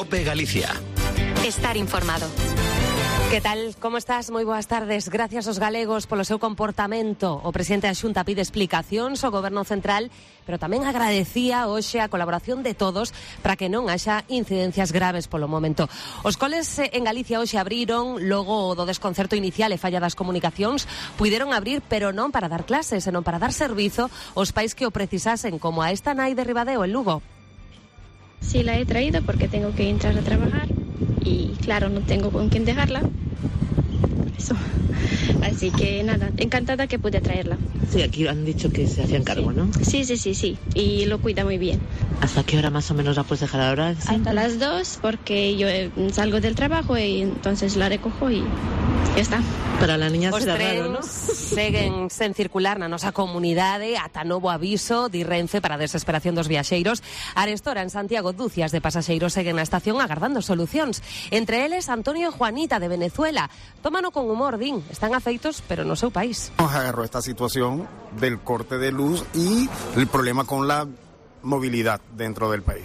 COPE Galicia. Estar informado. Que tal? Como estás? Moi boas tardes. Gracias aos galegos polo seu comportamento. O presidente da Xunta pide explicacións ao Goberno Central, pero tamén agradecía hoxe a colaboración de todos para que non haxa incidencias graves polo momento. Os coles en Galicia hoxe abriron, logo do desconcerto inicial e falla das comunicacións, puideron abrir, pero non para dar clases, senón para dar servizo aos pais que o precisasen, como a esta nai de Ribadeo, en Lugo. Sí, la he traído porque tengo que entrar a trabajar y claro, no tengo con quién dejarla. Eso. Así que nada, encantada que pude traerla. Sí, aquí han dicho que se hacían cargo, ¿no? Sí. Y lo cuida muy bien. ¿Hasta qué hora más o menos la puedes dejar ahora? ¿Sí? Hasta las 2, porque yo salgo del trabajo y entonces la recojo y ya está. Para la niña Os será raro, ¿no? seguen sen circular na nosa comunidade ata novo aviso de Renfe para a desesperación dos viaxeiros. Arestora en Santiago, dúcias de pasaxeiros seguen na estación agardando solucións. Entre eles, Antonio e Juanita de Venezuela. Tómano con humor, din. Están afeitos, pero no seu país. Nos agarró esta situación del corte de luz y el problema con la movilidad dentro del país.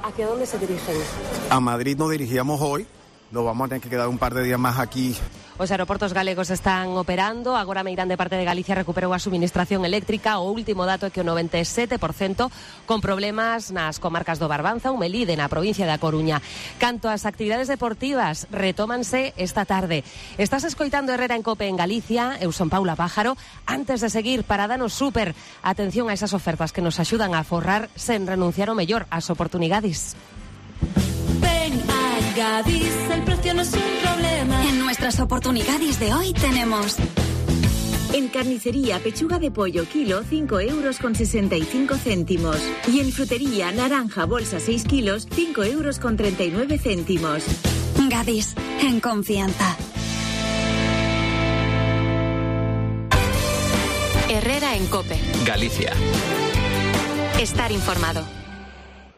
¿Hacia dónde se dirigen? A Madrid nos dirigíamos hoy, nos vamos a tener que quedar un par de días más aquí. Os aeroportos galegos están operando, agora Meirán de parte de Galicia recuperou a suministración eléctrica. O último dato é que o 97% con problemas nas comarcas do Barbanza ou Melide, na provincia da Coruña. Canto ás actividades deportivas, retómanse esta tarde. Estás escoitando Herrera en Cope en Galicia, eu son Paula Pájaro. Antes de seguir, parada no súper. Atención a esas ofertas que nos axudan a forrar sen renunciar ao mellor, ás oportunidades. Ven a Gadis, el precio no es un problema. En nuestras oportunidades de hoy tenemos... En carnicería, pechuga de pollo, kilo, 5,65 €. Y en frutería, naranja, bolsa, 6 kilos, 5,39 €. Gadis, en confianza. Herrera en Cope. Galicia. Estar informado.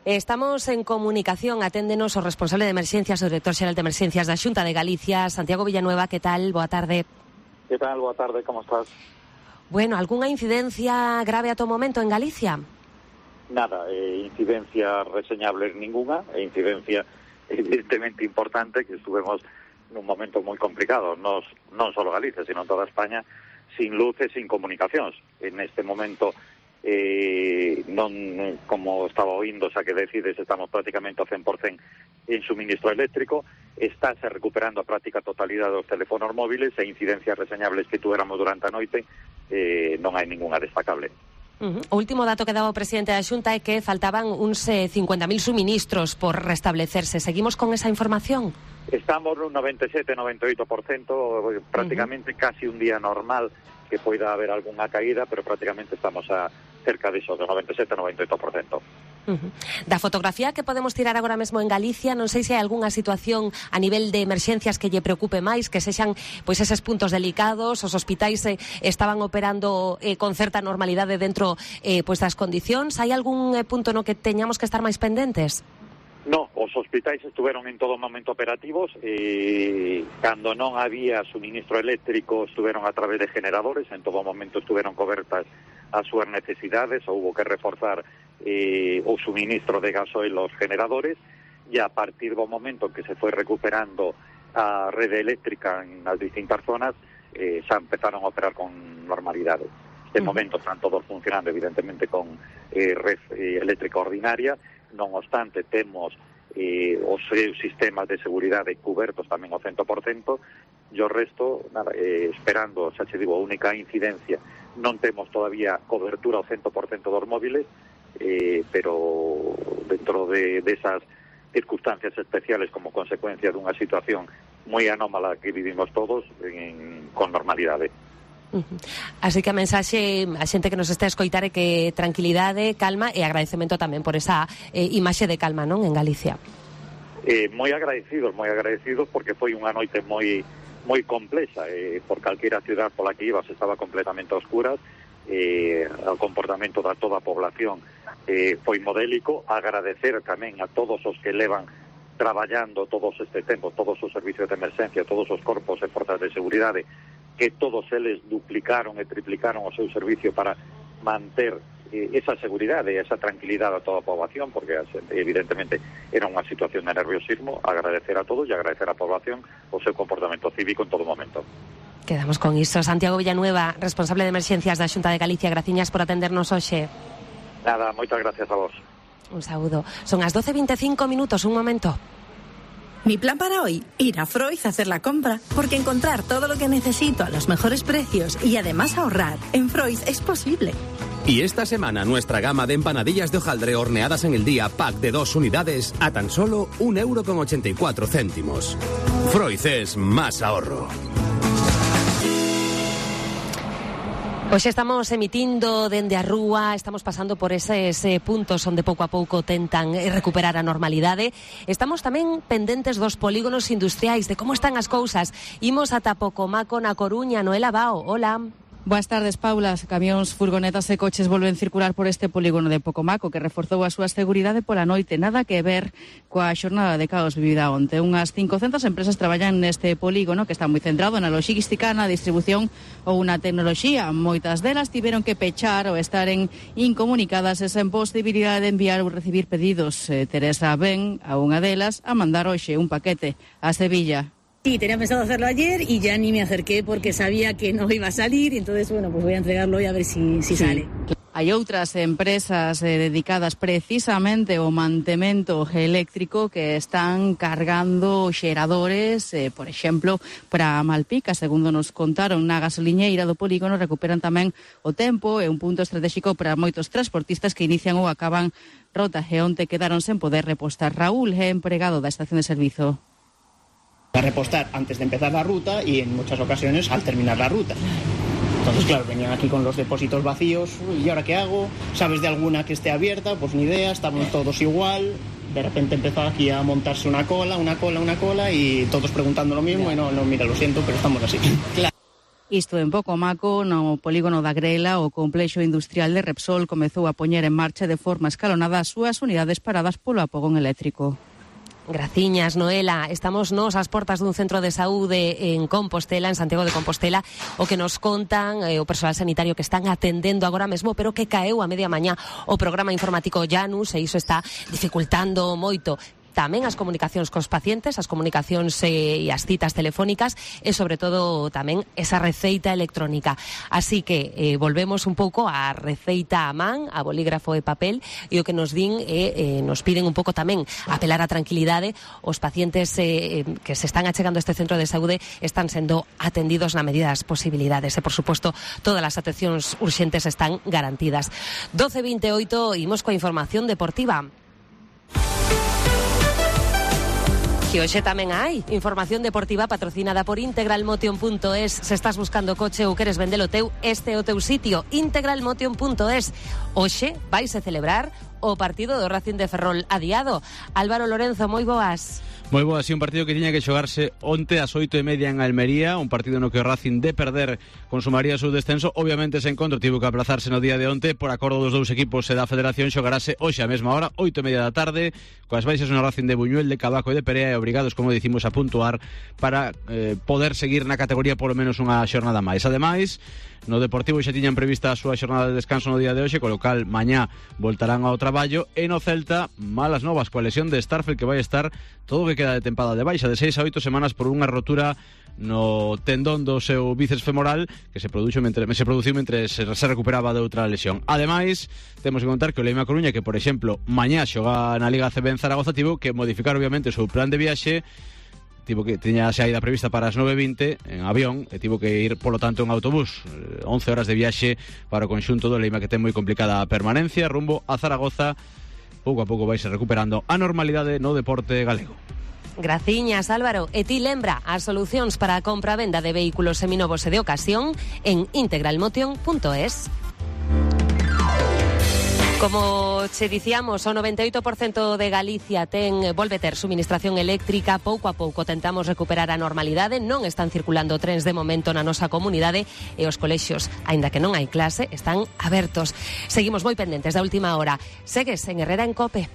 Estamos en comunicación, aténdenos o responsable de emerxencias, o director xeral de emerxencias da Xunta de Galicia, Santiago Villanueva. Que tal? Boa tarde. Que tal? Boa tarde, como estás? Bueno, algunha incidencia grave a todo momento en Galicia? Nada, incidencia reseñable ninguna, incidencia evidentemente importante, que estuvemos nun momento moi complicado, non só Galicia, sino toda España, sin luz e sin comunicacións. En este momento non, como estaba oindo, xa que decides, estamos prácticamente ao 100% en suministro eléctrico, estáse recuperando a práctica totalidade dos teléfonos móviles e incidencias reseñables que tuéramos durante a noite, non hai ninguna destacable. O último dato que daba o presidente da Xunta é que faltaban uns 50.000 suministros por restablecerse. Seguimos con esa información? Estamos nun 97-98%, prácticamente casi un día normal, que poida haber algunha caída, pero prácticamente estamos a cerca diso, do 97-98%. Da fotografía que podemos tirar agora mesmo en Galicia, non sei se hai algunha situación a nivel de emerxencias que lle preocupe máis, que sexan pois eses puntos delicados, os hospitais estaban operando con certa normalidade dentro pois das condicións. Hai algún punto no que teñamos que estar máis pendentes? No, os hospitais estuveron en todo momento operativos, cando non había suministro eléctrico estuveron a través de generadores, en todo momento estuveron cobertas as súas necesidades, houbo que reforzar o suministro de gasoil aos generadores, e a partir do momento que se foi recuperando a rede eléctrica en as distintas zonas, xa empezaron a operar con normalidade. De momento están todos funcionando evidentemente con red eléctrica ordinaria. Non obstante, temos os seus sistemas de seguridade cubertos tamén ao 100%, e o resto, nada, esperando, xa che digo, a única incidencia, non temos todavía cobertura ao 100% dos móviles, pero dentro de esas circunstancias especiales como consecuencia dunha situación moi anómala que vivimos todos, con normalidade. Así que a mensaxe a xente que nos está a escoitar é que tranquilidade, calma e agradecemento tamén por esa imaxe de calma, non, en Galicia. Moi agradecidos porque foi unha noite moi complexa, por calquera ciudad pola que ibas estaba completamente a oscuras, o comportamento da toda a población foi modélico. Agradecer tamén a todos os que levan traballando todos este tempo, todos os servicios de emerxencia, todos os corpos e forzas de seguridade, que todos eles duplicaron e triplicaron o seu servicio para manter esa seguridad e esa tranquilidad a toda a poboación, porque evidentemente era unha situación de nerviosismo. Agradecer a todos e agradecer á poboación o seu comportamento cívico en todo momento. Quedamos con iso. Santiago Villanueva, responsable de emerxencias da Xunta de Galicia, graciñas por atendernos hoxe. Nada, moitas gracias a vos. Un saúdo. Son as 12:25 minutos, un momento. Mi plan para hoy, ir a Froiz a hacer la compra, porque encontrar todo lo que necesito a los mejores precios y además ahorrar en Froiz es posible. Y esta semana nuestra gama de empanadillas de hojaldre horneadas en el día, pack de 2 unidades, a tan solo 1,84 €. Froiz es más ahorro. Hoxe estamos emitindo dende a rúa, estamos pasando por eses puntos onde pouco a pouco tentan recuperar a normalidade. Estamos tamén pendentes dos polígonos industriais, de como están as cousas. Imos ata Pocomaco na Coruña. Noela Bao, hola. Boas tardes, Paula. Camións, furgonetas e coches volven circular por este polígono de Pocomaco, que reforzou a súa seguridade pola noite. Nada que ver coa xornada de caos vivida onte. Unhas 500 empresas traballan neste polígono, que está moi centrado na logística, na distribución ou na tecnoloxía. Moitas delas tiveron que pechar ou estaren incomunicadas e sen posibilidade de enviar ou recibir pedidos. Teresa ven a unha delas a mandar hoxe un paquete a Sevilla. Sí, tenía pensado hacerlo ayer y ya ni me acerqué porque sabía que no iba a salir, y entonces, bueno, pues voy a entregarlo hoy a ver si sale. Hai outras empresas dedicadas precisamente ao mantemento eléctrico que están cargando xeradores, por exemplo, para Malpica. Segundo nos contaron na gasoliñeira do polígono, recuperan tamén o tempo, é un punto estratégico para moitos transportistas que inician ou acaban rota, e onte quedaron sen poder repostar. Raúl é empregado da estación de servizo. A repostar antes de empezar la ruta y en muchas ocasiones al terminar la ruta. Entonces, claro, venían aquí con los depósitos vacíos. ¿Y ahora qué hago? ¿Sabes de alguna que esté abierta? Pues ni idea, estamos todos igual. De repente empezó aquí a montarse una cola y todos preguntando lo mismo. Y no, mira, lo siento, pero estamos así. Claro. Isto en Pocomaco, no polígono da Grela, o complexo industrial de Repsol comezou a poñer en marcha de forma escalonada as súas unidades paradas polo apagón eléctrico. Graciñas, Noela. Estamos nos ás portas dun centro de saúde en Compostela, en Santiago de Compostela, o que nos contan o persoal sanitario que están atendendo agora mesmo, pero que caeu a media mañá o programa informático Janus, e iso está dificultando moito tamén as comunicacións cos pacientes, as comunicacións e as citas telefónicas, e sobre todo tamén esa receita electrónica. Así que volvemos un pouco á receita a man, a bolígrafo e papel, e o que nos din nos piden un pouco tamén apelar á tranquilidade. Os pacientes que se están achegando a este centro de saúde están sendo atendidos na medida das posibilidades, e por suposto todas as atencións urxentes están garantidas. 12:28, imos coa información deportiva. Que hoxe tamén hai información deportiva patrocinada por integralmotion.es. Se estás buscando coche ou queres vendelo teu, este é o teu sitio, integralmotion.es. Hoxe vaise celebrar o partido do Racing de Ferrol adiado. Álvaro Lorenzo, moi boas. Moi boa, sí, un partido que tiña que xogarse onte ás 8:30 en Almería, un partido no que o Racing, de perder, consumaría o seu descenso. Obviamente ese encontro tivo que aplazarse no día de onte por acordo dos dous equipos e da Federación. Xogarase hoxe á mesma hora, 8:30 da tarde, coas baixas no Racing de Buñuel, de Cavaco e de Perea, e obrigados, como dicimos, a puntuar para poder seguir na categoría polo menos unha xornada máis. Ademais, no Deportivo xa tiñan prevista a súa xornada de descanso no día de hoxe, co local mañá voltarán ao traballo, e no Celta, malas novas coa lesión de Starfel, que vai estar todo o que queda de tempada de baixa, de 6 a 8 semanas por unha rotura no tendón do seu bíceps femoral que se produciu mentre se recuperaba de outra lesión. Ademais, temos que contar que o Leima Coruña, que por exemplo mañá xoga na Liga CB en Zaragoza, tivo que modificar obviamente o seu plan de viaxe. Tivo que tiña a saída prevista para as 9:20 en avión e tivo que ir, polo tanto, en autobús. 11 horas de viaxe para o conxunto do Leima, que ten moi complicada a permanencia rumbo a Zaragoza. Pouco a pouco vaise recuperando a normalidade no deporte galego. Graciñas, Álvaro. E ti lembra as solucións para a compra e venda de vehículos seminovos e de ocasión en integralmotion.es. Como che dicíamos, o 98% de Galicia volve ter suministración eléctrica. Pouco a pouco tentamos recuperar a normalidade. Non están circulando trens de momento na nosa comunidade, e os colexios, aínda que non hai clase, están abertos. Seguimos moi pendentes da última hora. Segues en Herrera en Cope.